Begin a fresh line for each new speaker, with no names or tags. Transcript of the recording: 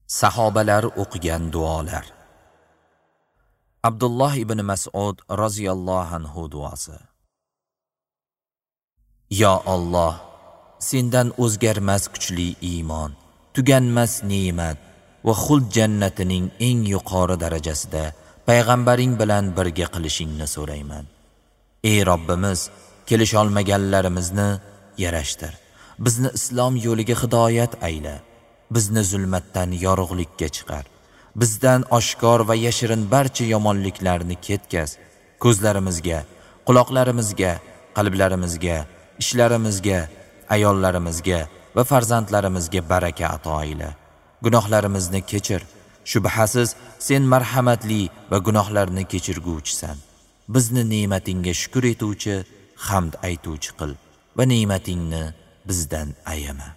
Sahobalar o'qigan duolar. Abdulloh ibn Mas'ud roziyallohu anhu duosi. Yo Alloh, sendan o'zgarmas kuchli iymon, tuganmas ne'mat va xuld jannatining eng yuqori darajasida payg'ambaring bilan birga qilishingni so'rayman. Ey Robbimiz, kelisholmaganlarimizni yarashtir. Bizni islom yo'liga hidoyat ayla. Bizni zulmatdan yorug'likka chiqar. Bizdan oshkor va yashirin barcha yomonliklarni ketkaz. Ko'zlarimizga, quloqlarimizga, qalblarimizga, ishlarimizga, ayollarimizga va farzandlarimizga baraka ato ayla. Gunohlarimizni kechir. Shubhasiz sen marhamatli va gunohlarni kechirguvchisan. Bizni ne'matingga shukr etuvchi, hamd aytuvchi qil va ne'matingni bizdan ayama.